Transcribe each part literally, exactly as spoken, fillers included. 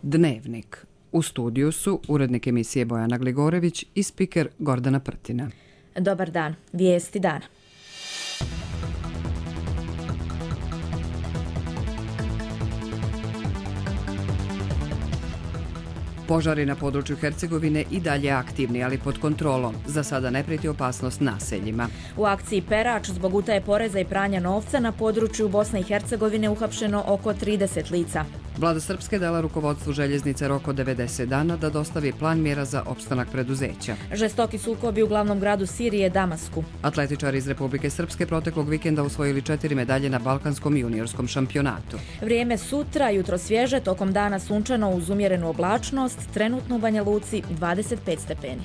Dnevnik. U studiju su urednik emisije Bojana Gligorević i spiker Gordana Prtina. Dobar dan. Vijesti dana. Požari na području Hercegovine i dalje aktivni, ali pod kontrolom. Za sada ne prijeti opasnost naseljima. U akciji Perač zbog utaje poreza i pranja novca na području Bosne i Hercegovine uhapšeno oko trideset lica. Vlada Srpske dala rukovodstvu željeznice rok od devedeset dana da dostavi plan mjera za opstanak preduzeća. Žestoki sukobi u glavnom gradu Sirije, Damasku. Atletičari iz Republike Srpske proteklog vikenda osvojili četiri medalje na Balkanskom juniorskom šampionatu. Vrijeme sutra, jutro svježe, tokom dana sunčano uz umjerenu oblačnost, trenutno u Banja Luci dvadeset pet stepeni.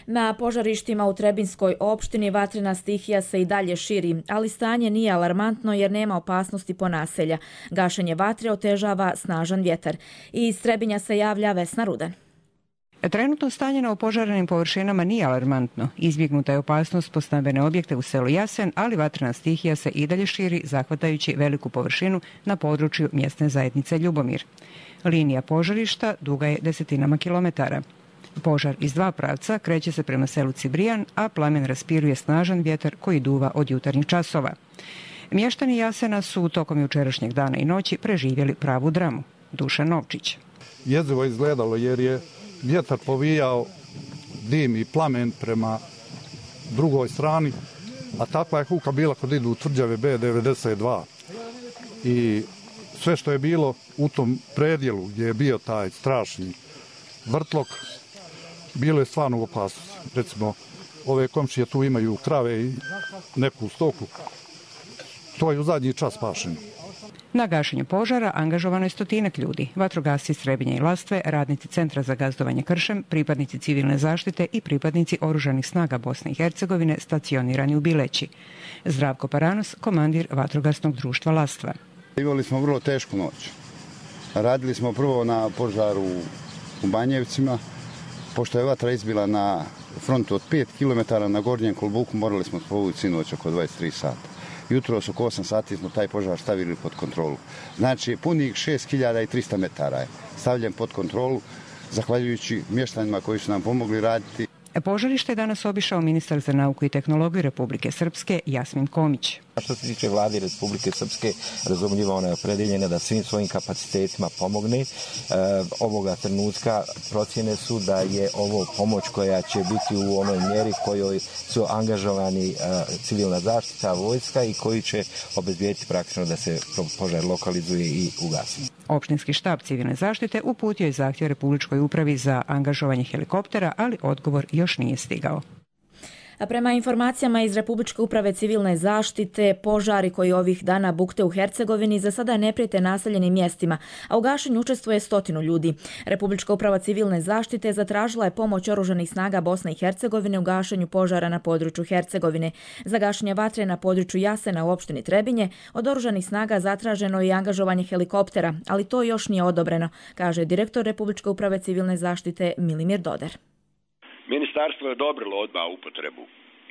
Na požarištima u Trebinskoj opštini vatrena stihija se i dalje širi, ali stanje nije alarmantno jer nema opasnosti po naselja. Gašenje vatre otežava snažan vjetar. I iz Trebinja se javlja Vesna Rudan. Trenutno stanje na opožarenim površinama nije alarmantno. Izbjegnuta je opasnost po stambene objekte u selu Jasen, ali vatrena stihija se i dalje širi, zahvatajući veliku površinu na području mjesne zajednice Ljubomir. Linija požarišta duga je desetinama kilometara. Požar iz dva pravca kreće se prema selu Cibrijan, a plamen raspiruje snažan vjetar koji duva od jutarnjih časova. Mještani Jasena su tokom jučerašnjeg dana i noći preživjeli pravu dramu. Dušan Novčić. Jezivo izgledalo jer je vjetar povijao dim i plamen prema drugoj strani, a takva je huka bila kod idu u tvrđave B devedeset dva. I sve što je bilo u tom predjelu gdje je bio taj strašni vrtlog, bilo je stvarno u opasnosti. Recimo, ove komšije tu imaju krave i neku stoku. To je u zadnji čas spašeno. Na gašenju požara angažovano je stotinak ljudi. Vatrogasci Trebinja i Lastve, radnici Centra za gazdovanje kršem, pripadnici civilne zaštite i pripadnici Oružanih snaga Bosne i Hercegovine stacionirani u Bileći. Zdravko Paranos, komandir Vatrogasnog društva Lastva. Imali smo vrlo tešku noć. Radili smo prvo na požaru u Banjevcima. Pošto je vatra izbila na frontu od pet kilometara na Gornjem Kolbuku, morali smo povući sinoć oko dvadeset tri sata. Jutro su oko osam sati smo taj požar stavili pod kontrolu. Znači, punih šest hiljada trista metara je stavljen pod kontrolu, zahvaljujući mještanima koji su nam pomogli raditi. Požarište je danas obišao ministar za nauku i tehnologiju Republike Srpske Jasmin Komić. Što se tiče vlade Republike Srpske, razumljivo ona je opredeljena da svim svojim kapacitetima pomogne. E, ovoga trenutka procjene su da je ovo pomoć koja će biti u onoj mjeri kojoj su angažovani e, civilna zaštita, vojska i koji će obezbijeti praktično da se požar lokalizuje i ugasi. Opštinski štab civilne zaštite uputio je zahtjev Republičkoj upravi za angažovanje helikoptera, ali odgovor još nije stigao. A prema informacijama iz Republičke uprave civilne zaštite, požari koji ovih dana bukte u Hercegovini za sada ne prijete naseljenim mjestima, a u gašenju učestvuje stotinu ljudi. Republička uprava civilne zaštite zatražila je pomoć Oružanih snaga Bosne i Hercegovine u gašenju požara na području Hercegovine. Za gašenje vatre na području Jasena u opštini Trebinje od Oružanih snaga zatraženo je i angažovanje helikoptera, ali to još nije odobreno, kaže direktor Republičke uprave civilne zaštite Milimir Doder. Ministarstvo je odobrilo odmah upotrebu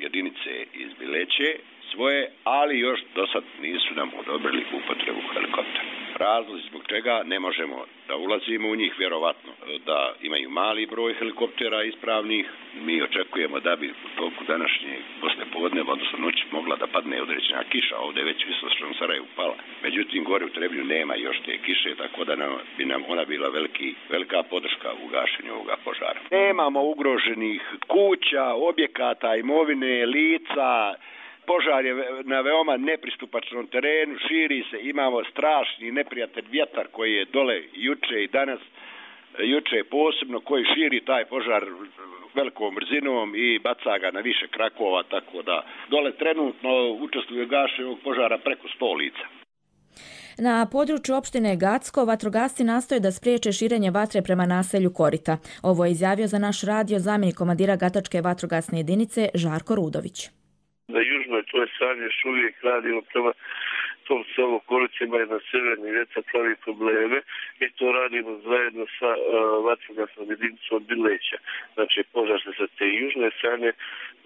jedinice iz Bileće svoje, ali još do sad nisu nam odobrili upotrebu helikoptera. Razlozi zbog čega ne možemo da ulazimo u njih, vjerovatno da imaju mali broj helikoptera ispravnih. Mi očekujemo da bi u toku današnje poslijepodneva, odnosno noći, mogla da padne određena kiša. Ovdje je već u Istočnom Sarajevu pala. Međutim, gore u Trebinju nema još te kiše, tako da nam, bi nam ona bila veliki, velika podrška u gašenju ovoga požara. Nemamo ugroženih kuća, objekata, imovine, lica. Požar je na veoma nepristupačnom terenu, širi se, imamo strašni neprijatelj vjetar koji je dole juče i danas, juče posebno, koji širi taj požar velikom brzinom i baca ga na više krakova, tako da dole trenutno učestvuje u gašenju ovog požara preko sto lica. Na području opštine Gacko vatrogasci nastoje da spriječe širenje vatre prema naselju Korita. Ovo je izjavio za naš radio zamjenik komandira Gatačke vatrogasne jedinice Žarko Rudović. Na južnoj toj strani još uvijek radimo prema tom selu Koricima i na Severni Vjeca pravi probleme i to radimo zajedno sa uh, vatrogasnom jedinicom Bileća. Znači požar se sa te južne strane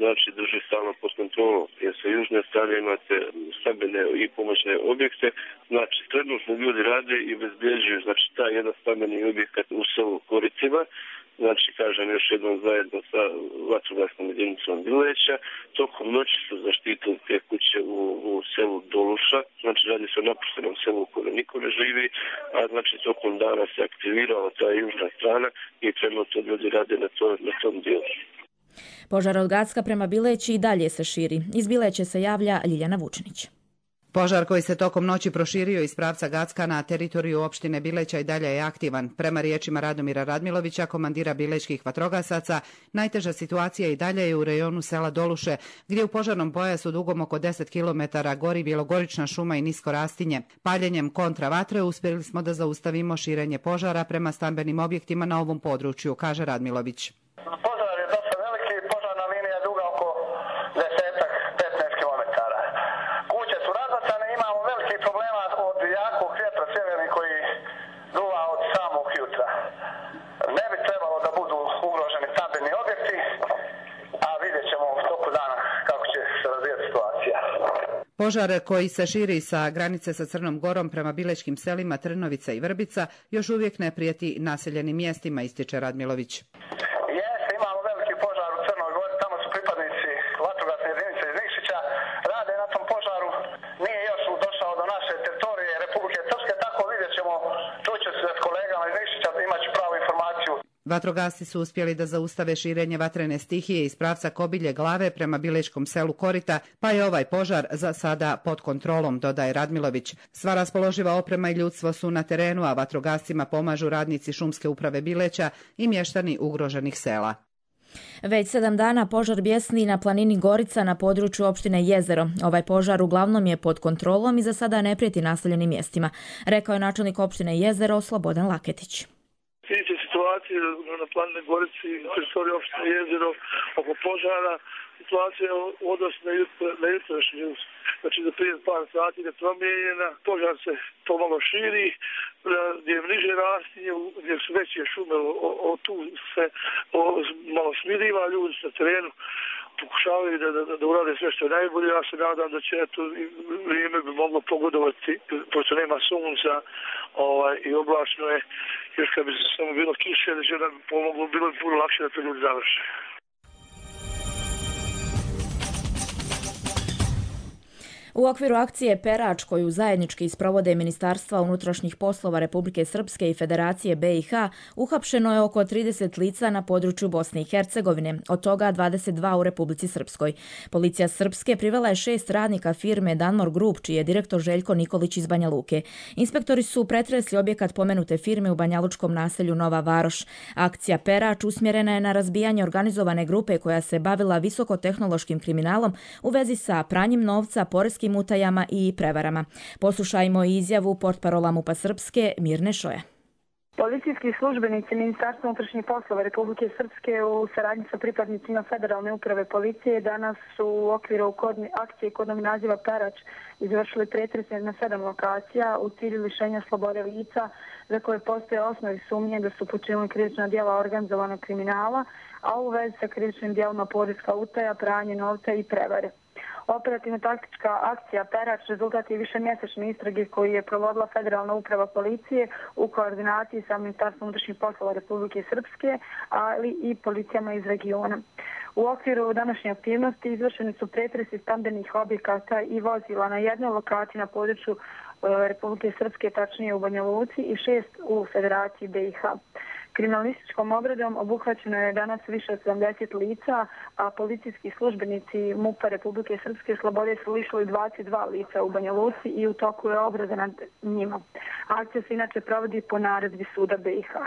znači drži stalno pod kontrolom, jer sa južne strane imate stambene i pomoćne objekte, znači trenutno ljudi rade i bezbjeđuju znači taj jedan stambeni objekat u selu Koricima. Znači, kažem još jednom zajedno sa vatrogasnom jedinicom Bileća. Tokom noći su zaštitili te kuće u, u selu Doluša. Znači, radi se o napuštenom selu u kojem niko ne živi, a znači tokom dana se aktivirala ta južna strana i trenutno ljudi rade na, to, na tom dijelu. Požar od Gacka prema Bileći i dalje se širi. Iz Bileće se javlja Ljiljana Vučinić. Požar koji se tokom noći proširio iz pravca Gacka na teritoriju opštine Bileća i dalje je aktivan. Prema riječima Radomira Radmilovića, komandira bilećkih vatrogasaca, najteža situacija i dalje je u rejonu sela Doluše, gdje u požarnom pojasu dugom oko deset kilometara gori bjelogorična šuma i nisko rastinje. Paljenjem kontravatre uspjeli smo da zaustavimo širenje požara prema stambenim objektima na ovom području, kaže Radmilović. Požar je dosta veliki, požarna linija je duga oko desetak, petnaest kilometara. Kuće su razbacane, imamo veliki problema od jakog vjetra sjeverni koji duva od samog jutra. Ne bi trebalo da budu ugroženi stambeni objekti, a vidjet ćemo u toku dana kako će se razvijati situacija. Požar koji se širi sa granice sa Crnom Gorom prema bilećkim selima Trnovica i Vrbica još uvijek ne prijeti naseljenim mjestima, ističe Radmilović. Jeste, imamo veliki požar u Crnoj Gori, tamo su pripadnici vatrogasne jedinice iz Nikšića, rade na tom požaru, nije još došao do naše teritorije Republike Srpske, tako vidjet ćemo, čuću se s kolegama iz Nikšića, imaću pravu informaciju. Vatrogasci su uspjeli da zaustave širenje vatrene stihije iz pravca Kobilje Glave prema bilečkom selu Korita, pa je ovaj požar za sada pod kontrolom, dodaje Radmilović. Sva raspoloživa oprema i ljudstvo su na terenu, a vatrogascima pomažu radnici šumske uprave Bileća i mještani ugroženih sela. Već sedam dana požar bjesni na planini Gorica na području opštine Jezero. Ovaj požar uglavnom je pod kontrolom i za sada ne prijeti naseljenim mjestima, rekao je načelnik opštine Jezero Slobodan Laketić. Sljedeće situacije na planini Gorici, na teritoriju opštine Jezero, oko požara, situacija je u odnosu na jutrošnju, znači za prije par sati je promijenjena, požar se pomalo širi, gdje je niže rastinje, gdje su veće šume, o, o, tu se o, malo smiriva, ljudi na terenu pokušavaju da, da, da urade sve što je najbolje. Ja se nadam da će eto, vrijeme bi moglo pogodovati, pošto nema sunca ovaj, i oblačno je, još kad bi se samo bilo kiše, da će nam pomoglo, bilo bi puno lakše da to ljudi završe. U okviru akcije Perač, koju zajednički sprovode Ministarstva unutrašnjih poslova Republike Srpske i Federacije B i H, uhapšeno je oko trideset lica na području Bosne i Hercegovine, od toga dvadeset dva u Republici Srpskoj. Policija Srpske privela je šest radnika firme Danmor Group, čiji je direktor Željko Nikolić iz Banja Luke. Inspektori su pretresli objekat pomenute firme u banjalučkom naselju Nova Varoš. Akcija Perač usmjerena je na razbijanje organizovane grupe koja se bavila visokotehnološkim kriminalom u vezi sa pranjem novca, poreskim utajama i prevarama. Poslušajmo izjavu portparola MUP-a Srpske Mirne Šoja. Policijski službenici Ministarstva unutrašnjih poslova Republike Srpske u saradnji sa pripadnicima Federalne uprave policije danas su u okviru akcije kodnog naziva Perač izvršili pretrese na sedam lokacija u cilju lišenja slobode lica za koje postoje osnovi sumnje da su počinili krivična djela organizovanog kriminala, a u vezi sa krivičnim djelima poreska utaja, pranje novca i prevare. Operativno-taktička akcija Perač rezultat je višemjesečne istrage koju je provodila Federalna uprava policije u koordinaciji sa Ministarstvom unutrašnjih poslova Republike Srpske, ali i policijama iz regiona. U okviru današnje aktivnosti izvršeni su pretresi stambenih objekata i vozila na jednoj lokaciji na području Republike Srpske, tačnije u Banja Luci, i šest u Federaciji B i H. Kriminalističkom obradom obuhvaćeno je danas više od sedamdeset lica, a policijski službenici MUP-a Republike Srpske slobode su lišili dvadeset dva lica u Banja Luci i u toku je obrada nad njima. Akcija se inače provodi po naredbi suda B i H.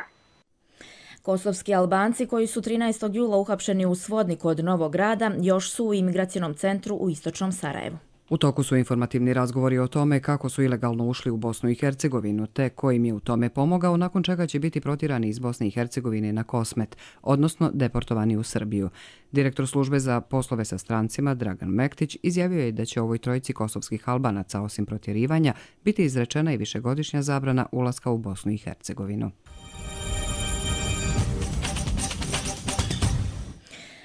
Kosovski Albanci koji su trinaestog jula uhapšeni u Svodniku od Novog Grada još su u imigracionom centru u istočnom Sarajevu. U toku su informativni razgovori o tome kako su ilegalno ušli u Bosnu i Hercegovinu, te ko im je u tome pomogao, nakon čega će biti protirani iz Bosne i Hercegovine na Kosmet, odnosno deportovani u Srbiju. Direktor službe za poslove sa strancima Dragan Mektić izjavio je da će ovoj trojici kosovskih Albanaca, osim protjerivanja, biti izrečena i višegodišnja zabrana ulaska u Bosnu i Hercegovinu.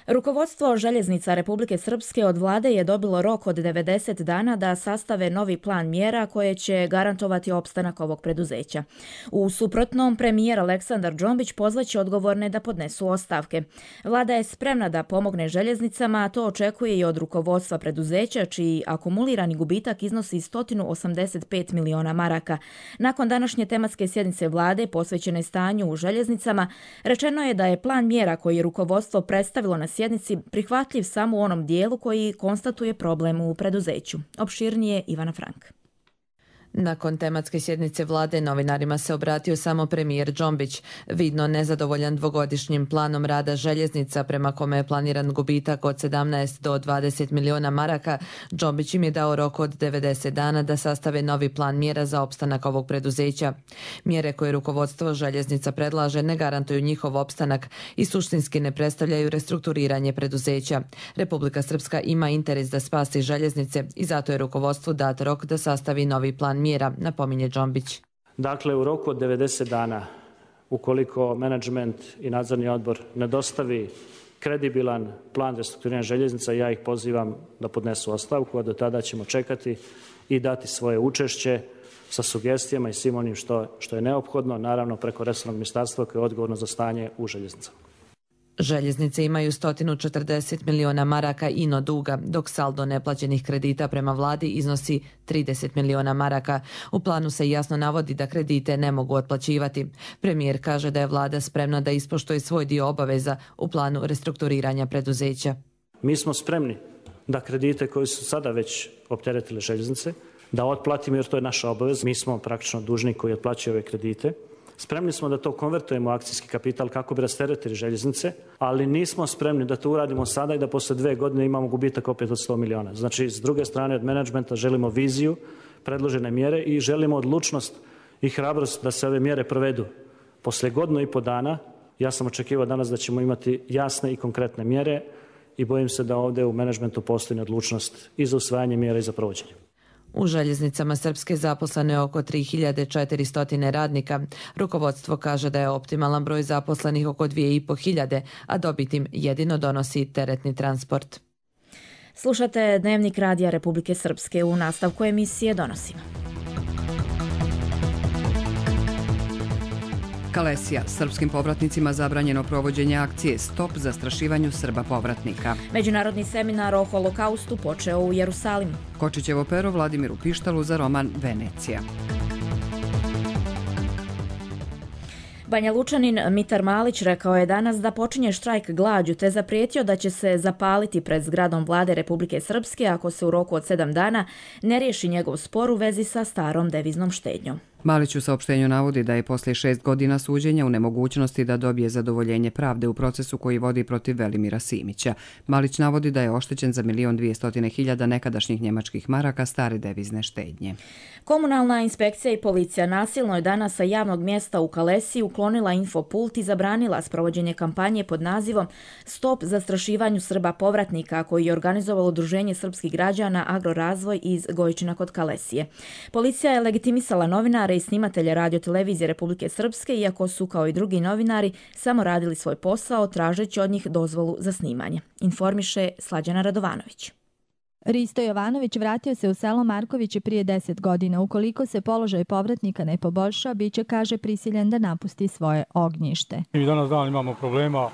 Rukovodstvo željeznica Republike Srpske od vlade je dobilo rok od devedeset dana da sastave novi plan mjera koje će garantovati opstanak ovog preduzeća. U suprotnom, premijer Aleksandar Džombić pozvaće odgovorne da podnesu ostavke. Vlada je spremna da pomogne željeznicama, a to očekuje i od rukovodstva preduzeća, čiji akumulirani gubitak iznosi sto osamdeset pet miliona maraka. Nakon današnje tematske sjednice vlade posvećene stanju u željeznicama, rečeno je da je plan mjera koji je rukovodstvo predstavilo na sjednici prihvatljiv samo u onom dijelu koji konstatuje problem u preduzeću. Opširnije Ivana Frank. Nakon tematske sjednice vlade novinarima se obratio samo premijer Džombić. Vidno nezadovoljan dvogodišnjim planom rada željeznica prema kome je planiran gubitak od sedamnaest do dvadeset miliona maraka, Džombić im je dao rok od devedeset dana da sastave novi plan mjera za opstanak ovog preduzeća. Mjere koje rukovodstvo željeznica predlaže ne garantuju njihov opstanak i suštinski ne predstavljaju restrukturiranje preduzeća. Republika Srpska ima interes da spasi željeznice i zato je rukovodstvu dat rok da sastavi novi plan mjera, napominje Džombić. Dakle, u roku od devedeset dana, ukoliko menadžment i nadzorni odbor ne dostavi kredibilan plan restrukturiranja željeznica, ja ih pozivam da podnesu ostavku, a do tada ćemo čekati i dati svoje učešće sa sugestijama i svim onim što, što je neophodno, naravno preko resornog ministarstva koje je odgovorno za stanje u željeznicama. Željeznice imaju sto četrdeset miliona maraka ino duga, dok saldo neplaćenih kredita prema vladi iznosi trideset miliona maraka. U planu se jasno navodi da kredite ne mogu otplaćivati. Premijer kaže da je vlada spremna da ispoštuje svoj dio obaveza u planu restrukturiranja preduzeća. Mi smo spremni da kredite koji su sada već opteretile željeznice, da otplatimo jer to je naša obaveza. Mi smo praktično dužni koji otplaćuju ove kredite. Spremni smo da to konvertujemo u akcijski kapital kako bi rasteretili željeznice, ali nismo spremni da to uradimo sada i da posle dve godine imamo gubitak opet od sto miliona. Znači, s druge strane od menadžmenta želimo viziju, predložene mjere i želimo odlučnost i hrabrost da se ove mjere provedu. Posle godinu i po dana, ja sam očekivao danas da ćemo imati jasne i konkretne mjere i bojim se da ovdje u menadžmentu postoji odlučnost i za usvajanje mjera i za provođenje. U željeznicama Srpske zaposleno je oko tri hiljade četiristo radnika. Rukovodstvo kaže da je optimalan broj zaposlenih oko dvije i po hiljade, a dobit im jedino donosi teretni transport. Slušate Dnevnik Radija Republike Srpske. U nastavku emisije donosimo. Kalesija. Srpskim povratnicima zabranjeno provođenje akcije Stop zastrašivanju Srba povratnika. Međunarodni seminar o holokaustu počeo u Jerusalimu. Kočićevo pero Vladimiru Pištalu za roman Venecija. Banja Lučanin Mitar Malić rekao je danas da počinje štrajk glađu te zaprijetio da će se zapaliti pred zgradom vlade Republike Srpske ako se u roku od sedam dana ne riješi njegov spor u vezi sa starom deviznom štednjom. Malić u saopštenju navodi da je poslije šest godina suđenja u nemogućnosti da dobije zadovoljenje pravde u procesu koji vodi protiv Velimira Simića. Malić navodi da je oštećen za milion dvijestotine hiljada nekadašnjih njemačkih maraka stare devizne štednje. Komunalna inspekcija i policija nasilno je danas sa javnog mjesta u Kalesiji uklonila infopult i zabranila sprovođenje kampanje pod nazivom Stop zastrašivanju Srba povratnika koji je organizovalo Udruženje srpskih građana Agrorazvoj iz Gojčina kod Kalesije. Policija je legitimisala novinare i snimatelje radiotelevizije Republike Srpske, iako su, kao i drugi novinari, samo radili svoj posao tražeći od njih dozvolu za snimanje. Informiše Slađana Radovanović. Risto Jovanović vratio se u selo Markovići prije deset godina. Ukoliko se položaj povratnika ne poboljša, bit će, kaže, prisiljen da napusti svoje ognjište. Mi danas dan imamo problema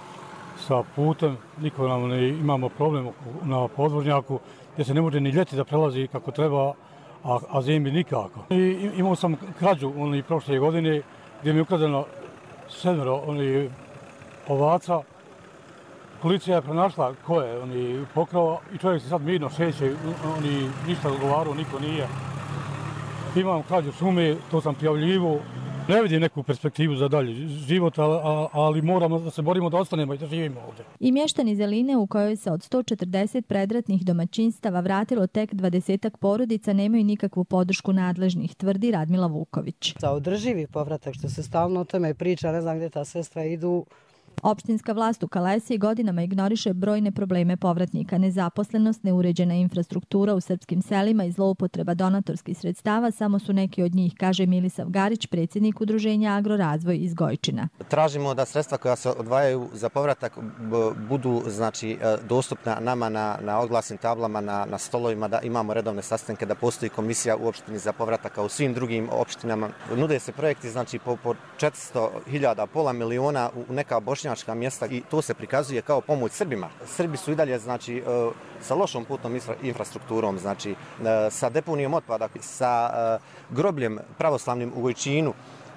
sa putem, niko nam ne imamo problem na podvožnjaku, gdje se ne može ni ljeti da prelazi kako treba, a, a zimi nikako. I, imao sam krađu oni prošle godine gdje mi je ukradeno sedmero oni ovaca. Policija je pronašla ko je oni pokrao i čovjek se sad mirno šeće, oni ništa odgovarao, niko nije. Imam krađu šume, to sam prijavljivo Ne vidim neku perspektivu za dalje život, ali moramo da se borimo da ostanemo i da živimo ovdje. I mještani Zeline, u kojoj se od sto četrdeset predratnih domaćinstava vratilo tek dvadesetak porodica, nemaju nikakvu podršku nadležnih, tvrdi Radmila Vuković. Za održivi povratak, što se stalno o tome priča, ne znam gdje ta sredstva idu. Opštinska vlast u Kalesiji godinama ignoriše brojne probleme povratnika. Nezaposlenost, neuređena infrastruktura u srpskim selima i zloupotreba donatorskih sredstava samo su neki od njih, kaže Milisav Garić, predsjednik udruženja Agrorazvoj iz Gojčina. Tražimo da sredstva koja se odvajaju za povratak budu znači dostupna nama na, na oglasnim tablama, na, na stolovima, da imamo redovne sastanke, da postoji komisija u opštini za povratak, kao u svim drugim opštinama. Nude se projekti znači po, po četiristo hiljada, pola miliona u neka bošnja mjesta i to se prikazuje kao pomoć Srbima. Srbi su i dalje znači sa lošom putnom infrastrukturom, znači sa deponijom otpada, sa grobljem pravoslavnim u Gojčinu,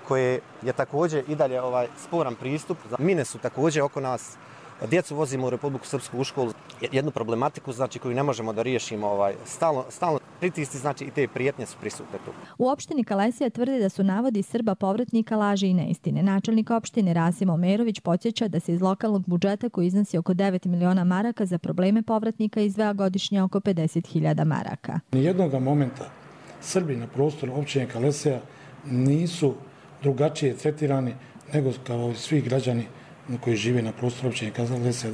koje je također i dalje ovaj sporan pristup. Mine su također oko nas. Djecu vozimo u Republiku Srpsku u školu, jednu problematiku znači koju ne možemo da riješimo, ovaj stalno stalno pritisci, znači i te prijetnje su prisutne tu. U opštini Kalesija tvrde da su navodi Srba povratnika laži i neistine. Načelnik opštine Rasim Omerović podsjeća da se iz lokalnog budžeta, koji iznosi oko devet miliona maraka, za probleme povratnika izdvaja godišnje oko pedeset hiljada maraka. Nijednog momenta Srbi na prostoru opštine Kalesija nisu drugačije tretirani nego kao svi građani koji žive na prostoru opštine Kalesija,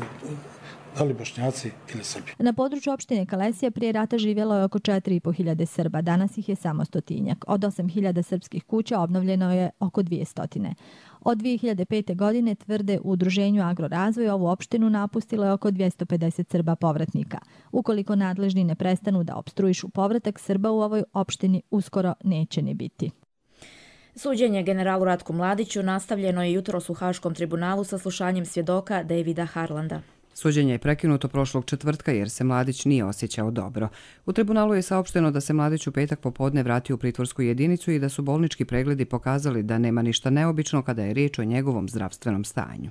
da li Bošnjaci ili Srbi. Na području opštine Kalesija prije rata živjelo je oko četiri i po hiljade Srba, danas ih je samo stotinjak. Od osam hiljada srpskih kuća obnovljeno je oko dvije stotine. Od dvije hiljade pete. godine, tvrde u udruženju Agrorazvoj, ovu opštinu napustilo je oko dvjesto pedeset Srba povratnika. Ukoliko nadležni ne prestanu da opstruišu povratak, Srba u ovoj opštini uskoro neće ni biti. Suđenje generalu Ratku Mladiću nastavljeno je jutros u Haškom tribunalu sa slušanjem svjedoka Davida Harlanda. Suđenje je prekinuto prošlog četvrtka jer se Mladić nije osjećao dobro. U tribunalu je saopšteno da se Mladić u petak popodne vratio u pritvorsku jedinicu i da su bolnički pregledi pokazali da nema ništa neobično kada je riječ o njegovom zdravstvenom stanju.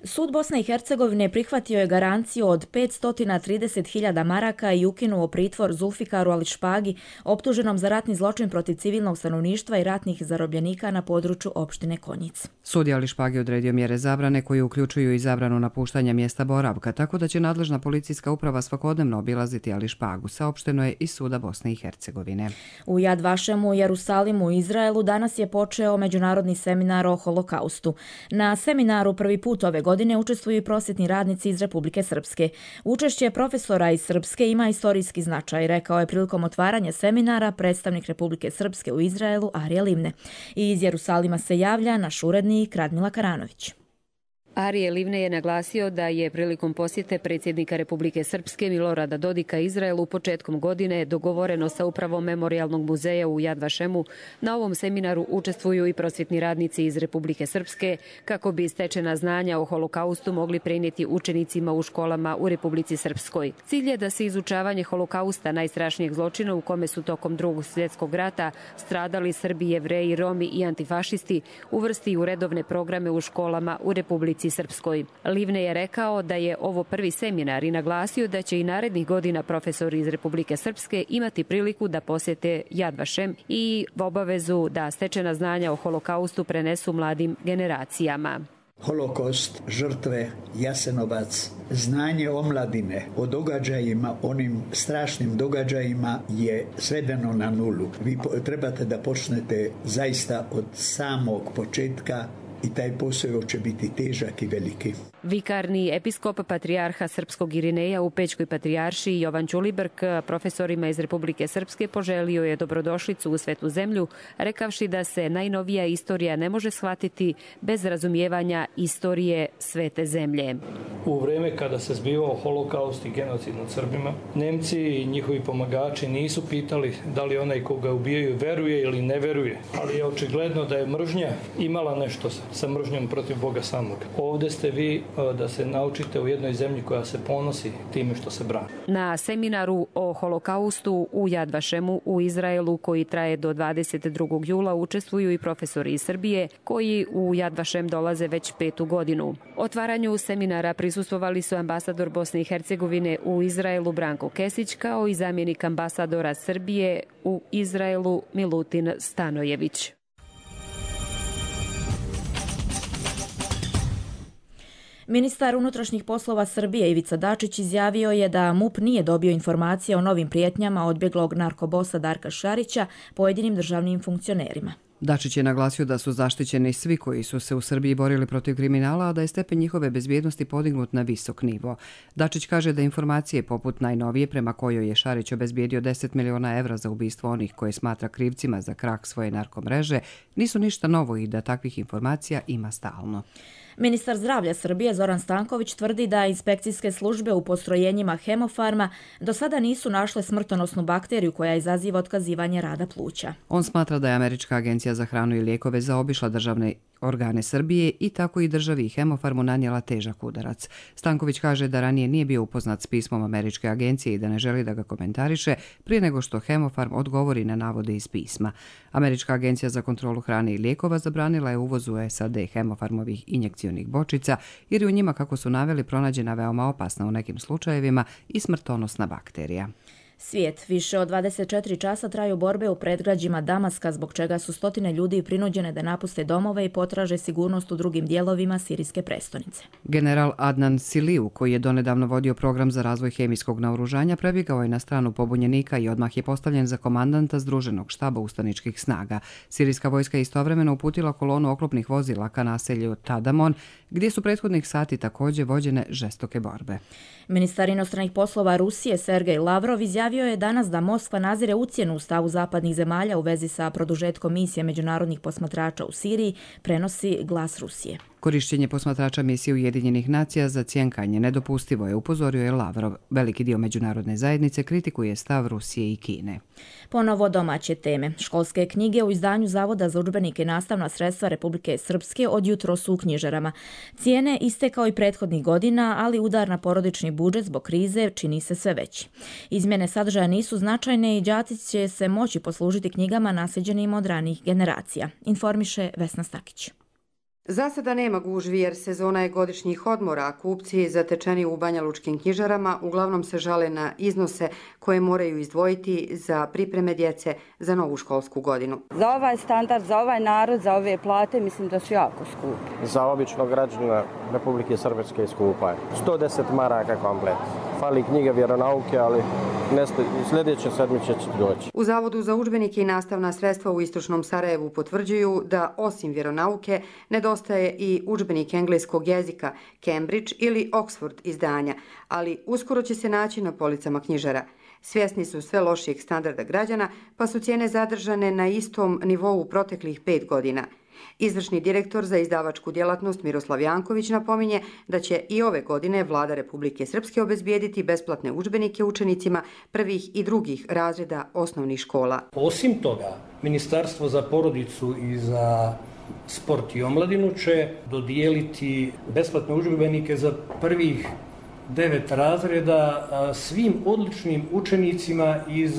Sud Bosne i Hercegovine prihvatio je garanciju od petsto trideset hiljada maraka i ukinuo pritvor Zulfikaru Ališpagi, optuženom za ratni zločin protiv civilnog stanovništva i ratnih zarobljenika na području opštine Konjic. Sud je Ališpagi odredio mjere zabrane koje uključuju i zabranu napuštanja mjesta boravka, tako da će nadležna policijska uprava svakodnevno obilaziti Ališpagu, saopšteno je iz Suda Bosne i Hercegovine. U Jad Vašemu, Jerusalimu u Izraelu danas je počeo međunarodni seminar o holokaustu. Na seminaru prvi put ove godine učestvuju i prosvjetni radnici iz Republike Srpske. Učešće profesora iz Srpske ima istorijski značaj, rekao je prilikom otvaranja seminara predstavnik Republike Srpske u Izraelu Arije Livne. I iz Jerusalima se javlja naš urednik Radmila Karanović. Arije Livne je naglasio da je prilikom posjete predsjednika Republike Srpske Milorada Dodika Izraelu početkom godine dogovoreno sa upravom Memorijalnog muzeja u Jad Vašemu. Na ovom seminaru učestvuju i prosvjetni radnici iz Republike Srpske kako bi stečena znanja o holokaustu mogli prenijeti učenicima u školama u Republici Srpskoj. Cilj je da se izučavanje holokausta, najstrašnijeg zločina u kome su tokom Drugog svjetskog rata stradali Srbi, Jevreji, Romi i antifašisti, uvrsti u redovne programe u školama u Republici Srpskoj. Livne je rekao da je ovo prvi seminar i naglasio da će i narednih godina profesori iz Republike Srpske imati priliku da posjete Jad Vašem i obavezu da stečena znanja o holokaustu prenesu mladim generacijama. Holokaust, žrtve, Jasenovac, znanje omladine o događajima, onim strašnim događajima je svedeno na nulu. Vi trebate da počnete zaista od samog početka i taj posao će biti težak i veliki. Vikarni episkop patrijarha Srpskog Irineja u Pećkoj patrijaršiji Jovan Ćulibrk profesorima iz Republike Srpske poželio je dobrodošlicu u svetu zemlju, rekavši da se najnovija istorija ne može shvatiti bez razumijevanja istorije svete zemlje. U vreme kada se zbivao holokaust i genocid nad Srbima, Nemci i njihovi pomagači nisu pitali da li onaj koga ubijaju veruje ili ne veruje, ali je očigledno da je mržnja imala nešto sa mržnjom protiv Boga samog. Ovdje ste vi da se naučite u jednoj zemlji koja se ponosi time što se brani. Na seminaru o holokaustu u Jad Vašemu u Izraelu, koji traje do dvadeset drugog jula, učestvuju i profesori iz Srbije koji u Jad Vašem dolaze već petu godinu. Otvaranju seminara prisustvovali su ambasador Bosne i Hercegovine u Izraelu Branko Kesić, kao i zamjenik ambasadora Srbije u Izraelu Milutin Stanojević. Ministar unutrašnjih poslova Srbije Ivica Dačić izjavio je da MUP nije dobio informacije o novim prijetnjama odbjeglog narkobosa Darka Šarića pojedinim državnim funkcionerima. Dačić je naglasio da su zaštićeni svi koji su se u Srbiji borili protiv kriminala, a da je stepen njihove bezbjednosti podignut na visok nivo. Dačić kaže da informacije poput najnovije prema kojoj je Šarić obezbijedio deset miliona evra za ubistvo onih koje smatra krivcima za krah svoje narkomreže nisu ništa novo i da takvih informacija ima stalno. Ministar zdravlja Srbije Zoran Stanković tvrdi da inspekcijske službe u postrojenjima Hemofarma do sada nisu našle smrtonosnu bakteriju koja izaziva otkazivanje rada pluća. On smatra da je Američka agencija za hranu i lijekove zaobišla državne organe Srbije i tako i državi Hemofarmu nanijela težak udarac. Stanković kaže da ranije nije bio upoznat s pismom Američke agencije i da ne želi da ga komentariše prije nego što Hemofarm odgovori na navode iz pisma. Američka agencija za kontrolu hrane i lijekova zabranila je uvoz u S A D Hemofarmovih injekcionih bočica jer je u njima, kako su naveli, pronađena veoma opasna u nekim slučajevima i smrtonosna bakterija. Svijet. Više od dvadeset četiri časa traju borbe u predgrađima Damaska, zbog čega su stotine ljudi prinuđene da napuste domove i potraže sigurnost u drugim dijelovima sirijske prestonice. General Adnan Siliju, koji je donedavno vodio program za razvoj hemijskog naoružanja, prebjegao je na stranu pobunjenika i odmah je postavljen za komandanta Združenog štaba ustaničkih snaga. Sirijska vojska je istovremeno uputila kolonu oklopnih vozila ka naselju Tadamon, gdje su prethodnih sati također vođene žestoke borbe. Ministar inostranih poslova Rusije Sergej Lavrov izjavio je danas da Moskva nazire ucjenu u stavu zapadnih zemalja u vezi sa produžetkom misije međunarodnih posmatrača u Siriji, prenosi Glas Rusije. Korišćenje posmatrača misije Ujedinjenih nacija za cjenkanje nedopustivo je, upozorio je Lavrov. Veliki dio međunarodne zajednice kritikuje stav Rusije i Kine. Ponovo domaće teme. Školske knjige u izdanju Zavoda za udžbenike i nastavna sredstva Republike Srpske od jutro su u knjižarama. Cijene iste kao i prethodnih godina, ali udar na porodični budžet zbog krize čini se sve veći. Izmjene sadržaja nisu značajne i đaci će se moći poslužiti knjigama naslijeđenim od ranijih generacija, informiše Vesna Stakić. Za sada nema gužvi jer sezona je godišnjih odmora, a kupci zatečeni u banjalučkim knjižarama uglavnom se žale na iznose koje moraju izdvojiti za pripreme djece za novu školsku godinu. Za ovaj standard, za ovaj narod, za ove plate mislim da su jako skupi. Za običnog građana Republike Srpske skupa je. sto deset maraka komplet. Fali knjiga vjeronauke, ali sljedeće sedmice će doći. U Zavodu za udžbenike i nastavna sredstva u istočnom Sarajevu potvrđuju da osim vjeronauke nedostaje i udžbenik engleskog jezika Cambridge ili Oxford izdanja, ali uskoro će se naći na policama knjižara. Svjesni su sve lošijeg standarda građana, pa su cijene zadržane na istom nivou proteklih pet godina. Izvršni direktor za izdavačku djelatnost Miroslav Janković napominje da će i ove godine Vlada Republike Srpske obezbijediti besplatne udžbenike učenicima prvih i drugih razreda osnovnih škola. Osim toga, Ministarstvo za porodicu i za sport i omladinu će dodijeliti besplatne udžbenike za prvih devet razreda svim odličnim učenicima iz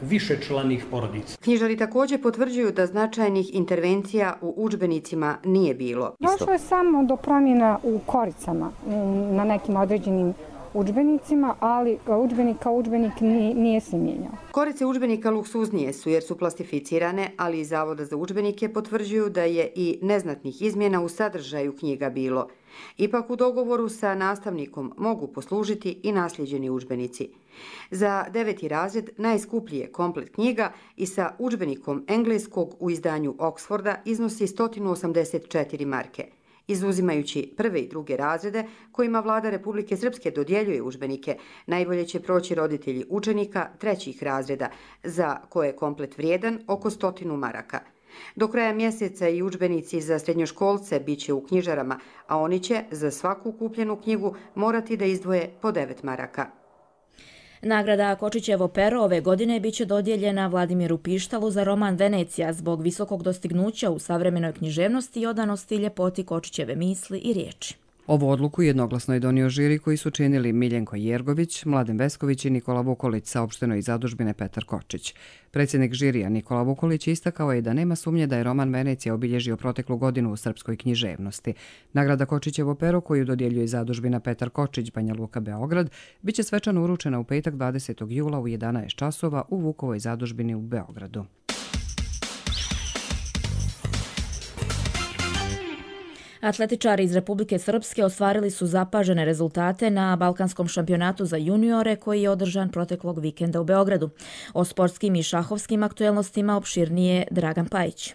višečlanih porodica. Knjižari također potvrđuju da značajnih intervencija u udžbenicima nije bilo. Došlo je samo do promjena u koricama na nekim određenim udžbenicima, ali udžbenik kao udžbenik nije, nije se mijenjao. Korice udžbenika luksuznije su jer su plastificirane, ali iz Zavoda za udžbenike potvrđuju da je i neznatnih izmjena u sadržaju knjiga bilo. Ipak u dogovoru sa nastavnikom mogu poslužiti i nasljeđeni udžbenici. Za deveti razred najskuplji je komplet knjiga i sa udžbenikom engleskog u izdanju Oxforda iznosi sto osamdeset četiri marke. Izuzimajući prve i druge razrede kojima Vlada Republike Srpske dodjeljuje udžbenike, najbolje će proći roditelji učenika trećih razreda, za koje je komplet vrijedan oko stotinu maraka. Do kraja mjeseca i udžbenici za srednjoškolce bit će u knjižarama, a oni će za svaku kupljenu knjigu morati da izdvoje po devet maraka. Nagrada Kočićevo pero ove godine biće dodijeljena Vladimiru Pištalu za roman Venecija zbog visokog dostignuća u savremenoj književnosti i odanosti ljepoti Kočićeve misli i riječi. Ovu odluku jednoglasno je donio žiri koji su činili Miljenko Jergović, Mladen Vesković i Nikola Vukolić, saopšteno iz zadužbine Petar Kočić. Predsjednik žirija Nikola Vukolić istakao je da nema sumnje da je roman Venecija obilježio proteklu godinu u srpskoj književnosti. Nagrada Kočićevo pero, koju dodjeljuje zadužbina Petar Kočić, Banja Luka, Beograd, biće svečano uručena u petak dvadesetog jula u jedanaest časova u Vukovoj zadužbini u Beogradu. Atletičari iz Republike Srpske ostvarili su zapažene rezultate na Balkanskom šampionatu za juniore koji je održan proteklog vikenda u Beogradu. O sportskim i šahovskim aktuelnostima opširnije Dragan Pajić.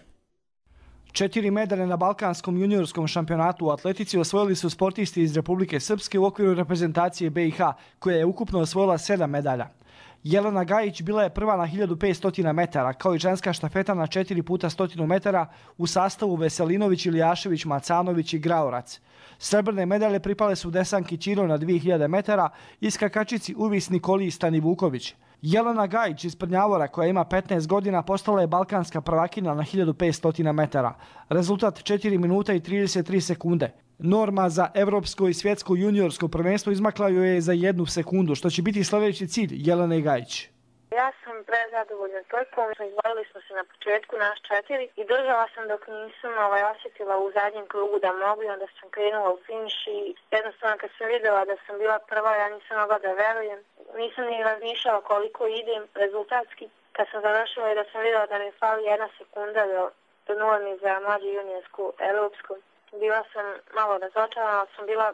Četiri medalje na Balkanskom juniorskom šampionatu u atletici osvojili su sportisti iz Republike Srpske u okviru reprezentacije B i H, koja je ukupno osvojila sedam medalja. Jelena Gajić bila je prva na hiljadu petsto metara, kao i ženska štafeta na četiri puta stotinu metara u sastavu Veselinović, Iljašević, Macanović i Graorac. Srebrne medalje pripale su Desanki Ćiro na dvije hiljade metara i skakačici Uvis Nikoli Stanivuković. Jelena Gajić iz Prnjavora, koja ima petnaest godina, postala je balkanska prvakina na hiljadu petsto metara. Rezultat četiri minuta i trideset tri sekunde. Norma za evropsko i svjetsko juniorsko prvenstvo izmakla joj je za jednu sekundu, što će biti sljedeći cilj Jelene Gajić. Ja sam prezadovoljna trkom, izborili smo se na početku naš četiri i držala sam dok nisam ovaj, osjetila u zadnjem krugu da mogu i onda sam krenula u finiš i jednostavno kad sam vidjela da sam bila prva, ja nisam mogla da verujem. Nisam ni razmišljala koliko idem rezultatski. Kad sam završila i da sam vidjela da mi fali jedna sekunda do, do normi za mlađu juniorsku evropsku, bila sam malo razočarana, ali sam bila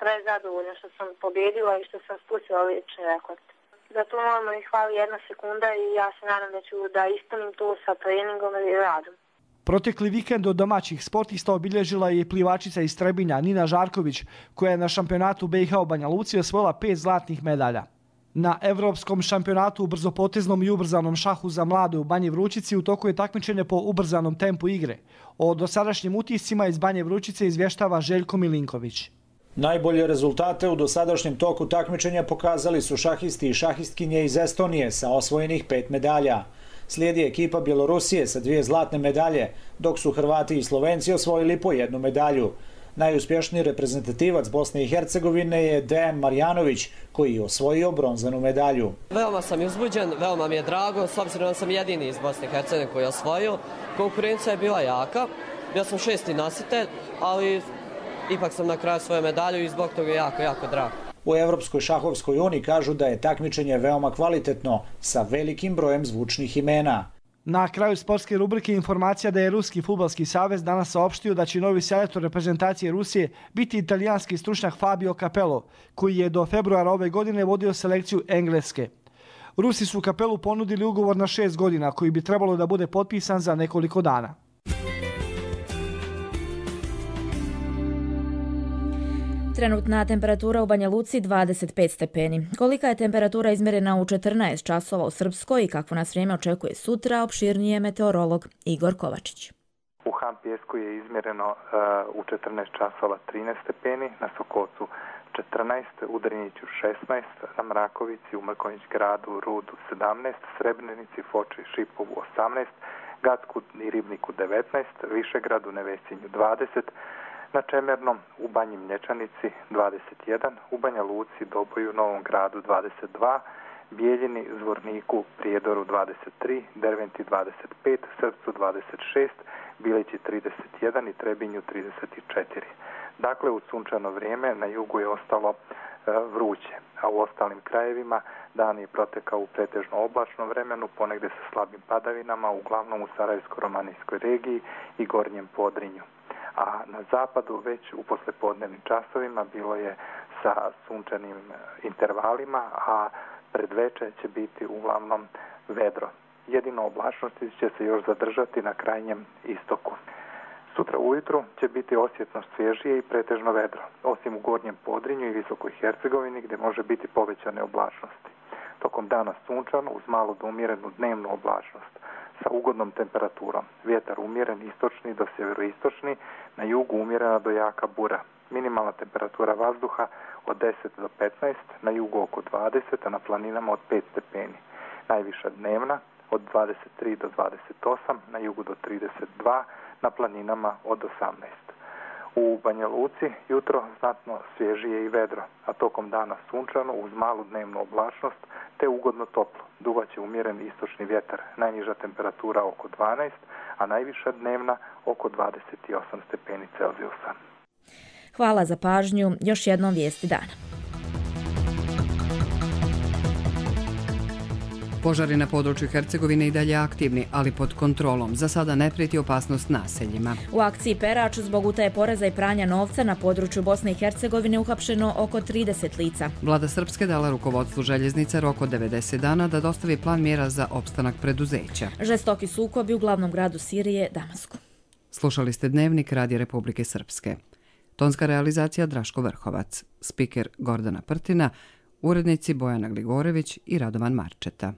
prezadovoljna što sam pobjedila i što sam spustila lični rekord. Za tu normu mi hvali jedna sekunda i ja se nadam da ću da ispunim to sa treningom i radom. Protekli vikend od domaćih sportista obilježila je plivačica iz Trebinja Nina Žarković, koja je na šampionatu B i H u Banja Luci osvojila pet zlatnih medalja. Na evropskom šampionatu u brzopoteznom i ubrzanom šahu za mlade u Banji Vrućici u toku je takmičenje po ubrzanom tempu igre. O dosadašnjim utiscima iz Banje Vrućice izvještava Željko Milinković. Najbolje rezultate u dosadašnjem toku takmičenja pokazali su šahisti i šahistkinje iz Estonije sa osvojenih pet medalja. Slijedi ekipa Bjelorusije sa dvije zlatne medalje, dok su Hrvati i Slovenci osvojili po jednu medalju. Najuspješniji reprezentativac Bosne i Hercegovine je Dejan Marjanović, koji je osvojio bronzanu medalju. Veoma sam uzbuđen, veoma mi je drago, s obzirom da sam jedini iz Bosne i Hercegovine koji je osvojio. Konkurencija je bila jaka, bio sam šesti nositelj, ali ipak sam na kraju svoju medalju i zbog toga je jako, jako drago. U Evropskoj šahovskoj uniji kažu da je takmičenje veoma kvalitetno, sa velikim brojem zvučnih imena. Na kraju sportske rubrike informacija da je Ruski fudbalski savez danas saopštio da će novi selektor reprezentacije Rusije biti italijanski stručnjak Fabio Capello, koji je do februara ove godine vodio selekciju Engleske. Rusi su Capellu ponudili ugovor na šest godina, koji bi trebalo da bude potpisan za nekoliko dana. Trenutna temperatura u Banja Luci dvadeset pet stepeni. Kolika je temperatura izmjerena u četrnaest časova u Srpskoj i kakvo nas vrijeme očekuje sutra, opširnije meteorolog Igor Kovačić. U Hampijesku je izmjereno uh, u četrnaest časova trinaest stepeni, na Sokocu četrnaest, u Drniću šesnaest, na Mrakovici, u Mrkonjić gradu, Rudu sedamnaest, Srebrenici, Foči, Šipovu osamnaest, Gacku i Ribniku devetnaest, Višegradu, Nevesinju dvadeset, na Čemernom, u Banji Mlječanici dvadeset jedan, u Banja Luci, Doboju, Novom gradu dvadeset dva, Bijeljini, Zvorniku, Prijedoru dvadeset tri, Derventi dvadeset pet, Srpcu dvadeset šest, Bilići trideset jedan i Trebinju trideset četiri. Dakle, u sunčano vrijeme na jugu je ostalo e, vruće, a u ostalim krajevima dan je protekao u pretežno oblačnom vremenu, ponegde sa slabim padavinama, uglavnom u Sarajevsko-romanijskoj regiji i Gornjem Podrinju. A na zapadu već u poslepodnevnim časovima bilo je sa sunčanim intervalima, a predveče će biti uglavnom vedro. Jedino oblačnosti će se još zadržati na krajnjem istoku. Sutra ujutru će biti osjetno svježije i pretežno vedro, osim u Gornjem Podrinju i Visokoj Hercegovini gdje može biti povećane oblačnosti. Tokom dana sunčano uz malo do umjerenu dnevnu oblačnost sa ugodnom temperaturom. Vjetar umjeren istočni do sjeveroistočni, na jugu umjerena do jaka bura. Minimalna temperatura vazduha od deset do petnaest, na jugu oko dvadeset, a na planinama od pet stepeni. Najviša dnevna od dvadeset tri do dvadeset osam, na jugu do trideset dva, na planinama od osamnaest. U Banja Luci jutro znatno svježije i vedro, a tokom dana sunčano uz malu dnevnu oblačnost te ugodno toplo. Duvaće umjeren istočni vjetar, najniža temperatura oko dvanaest, a najviša dnevna oko dvadeset osam stepeni Celzijusa. Hvala za pažnju. Još jednom vijesti dana. Požari na području Hercegovine i dalje aktivni, ali pod kontrolom. Za sada ne prijeti opasnost naseljima. U akciji Perač zbog utaje poreza i pranja novca na području Bosne i Hercegovine uhapšeno oko trideset lica. Vlada Srpske dala rukovodstvu željeznice rok od devedeset dana da dostavi plan mjera za opstanak preduzeća. Žestoki sukobi u glavnom gradu Sirije, Damasku. Slušali ste Dnevnik Radija Republike Srpske. Tonska realizacija Draško Vrhovac, spiker Gordana Prtina, urednici Bojana Gligorević i Radovan Marčeta.